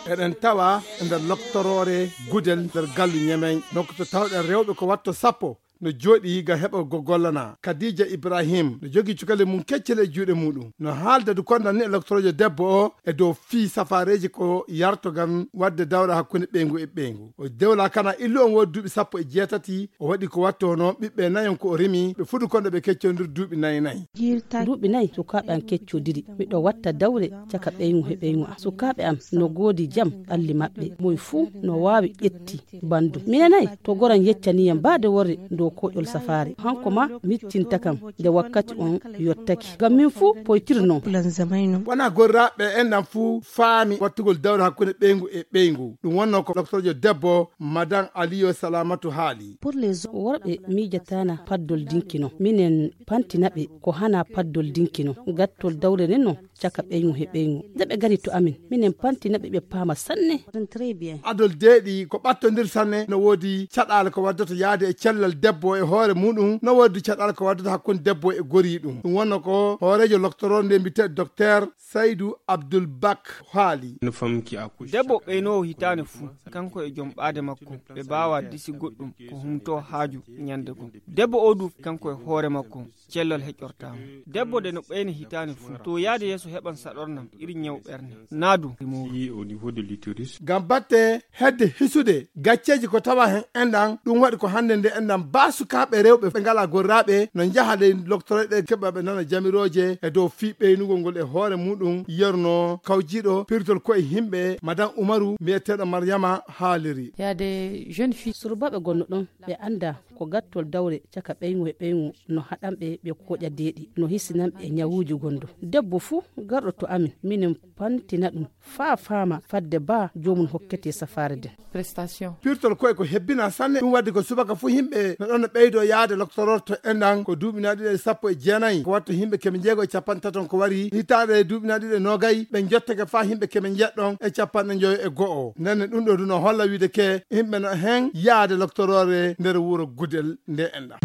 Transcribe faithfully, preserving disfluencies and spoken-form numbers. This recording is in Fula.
Eɗen tawa e nder loktoroore Gudel nder gallu Ñemeñ, donc to tawɗen rewɓe ko watto sappo no jooɗi ngam heɓa ko gollana. Kadija Ibrahim no jogii cukale mum keccele e juuɗe muɗum. No haalda du konda ni e loktoroojo debbo o e dow fii safaareeji ko yarto ngam waɗde dawra hakkunde ɓeyngu e ɓeyngu. O dewla kana illu on woodi duuɓi sappo e jeetati, o waɗi ko watto hono ɓiɓɓe nayon ko o rimi, ɓe fuɗi konda ɓe keccondir duuɓi nayi nayi. Duuɓi nayi sukaaɓe am keccodiri. Miɗo watta dawre caka ɓeyngu he ɓeyngu am. Sukaaɓe am no goodi jam ɓalli maɓɓe. Moy fuu no waawi ƴetti bandu. Minen ay, to goran yeccani yam baade worre dow koƴol safaare. Hanko ma mittinta kam nde wakkati on yottaki. Ngam min fuu poytirnoo. Wona gorraaɓe en nan fuu faami wattugol dawre hakkunde ɓeyngu e ɓeyngu. Ɗum wonnoo ko loktorjo debbo, Madan Aliyo Salamatu haali. Worɓe miijataana paddol dinki non. Minen pantina ɓe ko hana paddol dinki non. Gattol dawre nden non caka ɓeyngu he ɓeyngu. Nde ɓe gari to amin, minen pantina ɓe, ɓe paama sanne. Adol deeɗi ko ɓattondir sanne, no woodi caɗaale ko waddata yaade e cellal debbo e hoore muɗum, no woodi caɗaale ko waddata hakkunde debbo e goriiɗum. Ɗum wonno ko hooreejo loktoroo nde mbiyetee Docteur Saydou Abdoul Bak haali. Debbo ɓeynoowo hitaande fuu, kanko e jom ɓaade makko, ɓe mbaawa disi goɗɗum ko humtoo haaju ñande goo. Debbo oo du, kanko e hoore makko, cellal heƴortaama. Debbo de no ɓeyna hitaande fuu, to yaade yeeso heɓan saɗornam iri ñaw ɓernde. Naa du, ngam batte hedde hisude gacceeji ko tawa hen enɗan, ɗum waɗi ko hannde nde enɗan baa sukaaɓe rewɓe ɓe ngalaa gorraaɓe no njaha ley loktoroɗe keɓa ɓe nana jamirooje e dow fii ɓeynugol ngol e hoore muɗum, yerno kawjiiɗo pirtol koye himɓe, Madan Umaru, mbiyeteeɗo Maryama haaliri. Yaade jeune fille. Surbaaɓe gonno ɗon, ɓe annda ko gattol dawre caka ɓeyngu e ɓeyngu no haɗan ɓe ɓe koƴa deeɗi, no hisinan ɓe ñawuuji gonɗo. Debbo fuu garɗo to amin, minen pantina ɗum faa faama fadde baa joomum hokkete safaare nden. Prestation. Pirtol koye ko hebbina sanne, ɗum waddi ko subaka fuu himɓe no ɗon no ɓeydo yaade loktororto enɗan ko duuɓi na ɗiɗi e sappo e jeenayi, ko watto himɓe keme jeego e capanɗe taton ko wari hitaande duuɓi na ɗiɗi e noogay, ɓe jottake faa himɓe keme jeɗɗon e capanɗe njoyo e go'o. Nenne ɗum ɗo du no holla wiide ke himɓe no hen yaade loktoroore nder wuro Gudel nde enɗan.